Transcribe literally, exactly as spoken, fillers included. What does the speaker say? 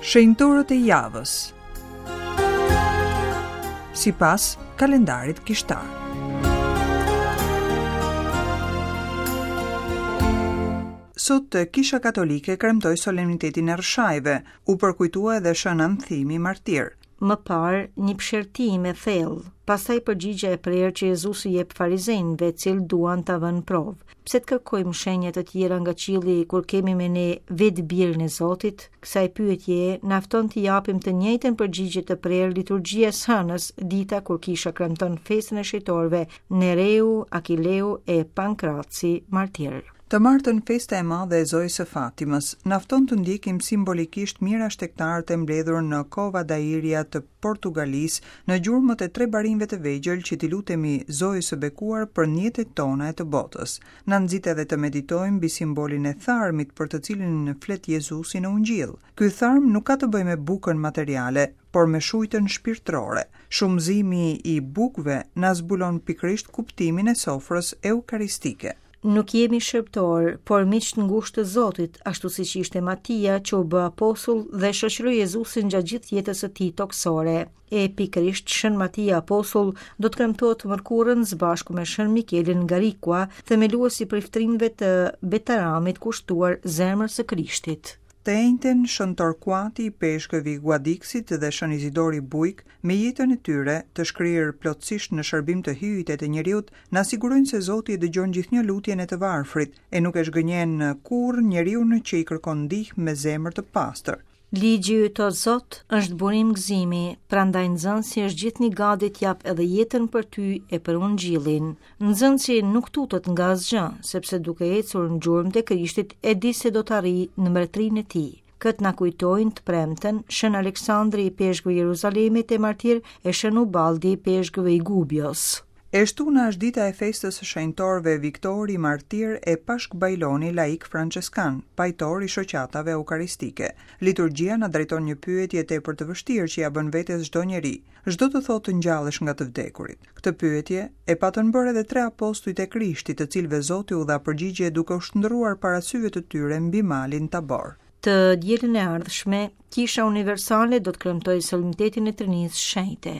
Shenjtorët e javës. Sipas kalendarit kishtar. Sot Kisha Katolike kremtoi solemnitetin e Rrshajve, u përkujtua edhe Shën Anthimi martir. Më parë, një psherëtim e thellë, pastaj përgjigja e prerë që Jezusi jep farizenjve, cilë duan ta vënë provë. Pse të kërkojmë shenja të tjera nga qielli kur kemi me ne vetë birin e Zotit? Kësaj pyetjeje na fton t'i japim të njëjtën përgjigje të prerë liturgjia e hënës, dita kur kisha kremton festën e shenjtorëve Nereu, Akileu e Pankraci martir. Të martën festa e madhe e Zojës së Fatimës na fton të ndjekim simbolikisht mijëra shtegtarët e mbledhur në Cova da Iria të Portugalisë në gjurmët e tre barinjve të vegjël që t'i lutemi Zojës së bekuar për njetet tona e të botës. Na nxit edhe të meditojmë mbi simbolin e tharmit për të cilin flet Jezusi në Ungjill. Ky tharm nuk ka të bëjë me bukën materiale, por me shujtën shpirtërore. Shumëzimi i bukëve na zbulon pikërisht kuptimin e sofrës eukaristike. Nuk jemi shërbëtor, por miq të ngushtë të Zotit, ashtu siç ishte Matia që u bë apostull dhe shoqëroi Jezusin gjatë gjithë jetës së tij tokësore. E pikërisht Shën Matia apostull do të kremtohet të mërkurën së bashku me Shën Mikelin Garikua, themelues i priftrinjve të Betaramit kushtuar zemrës së Krishtit. Të enjten Shën Torquati, ipeshkëvi i Guadixit dhe Shën Izidori Bujk, me jetën e tyre, të shkrirë plotësisht në shërbim të Hyjit e të njeriut, na sigurojnë se Zoti e dëgjon gjithnjë lutjen e të varfrit e nuk e zhgënjen kurrë njeriu që i kërkon ndihmë me zemër të pastër. Ligji yt, o Zot, është burim gëzimi, prandaj nxënësi është gjithnjë gati të jap edhe jetën për ty e për ungjillin. Nxënësi nuk tutet nga asgjë, sepse duke ecur në gjurmët e Krishtit e di se do të arrijë në mbretërinë e tij. Këtë na kujtojnë të premten Shën Aleksandri ipeshkëv i Jeruzalemit e martir e Shën Ubaldi ipeshkëv i Gubios. E shtuna është dita e festës së shenjtorëve Viktori Martir e Pashk Bajloni laik franceskan, pajtor i shoqatave eukaristike. Liturgjia na drejton një pyetje tepër të vështirë që ja bën vetes çdo njeri. Ç'do të thotë të ngjallesh nga të vdekurit? Këtë pyetje e patën bërë edhe tre apostujt e Krishtit, të cilëve Zoti u dha përgjigje duke u shndërruar para syve të tyre mbi malin Tabor. Të dielën e ardhshme, Kisha Universale do të kremtojë solemnitetin e Trinisë Shenjte.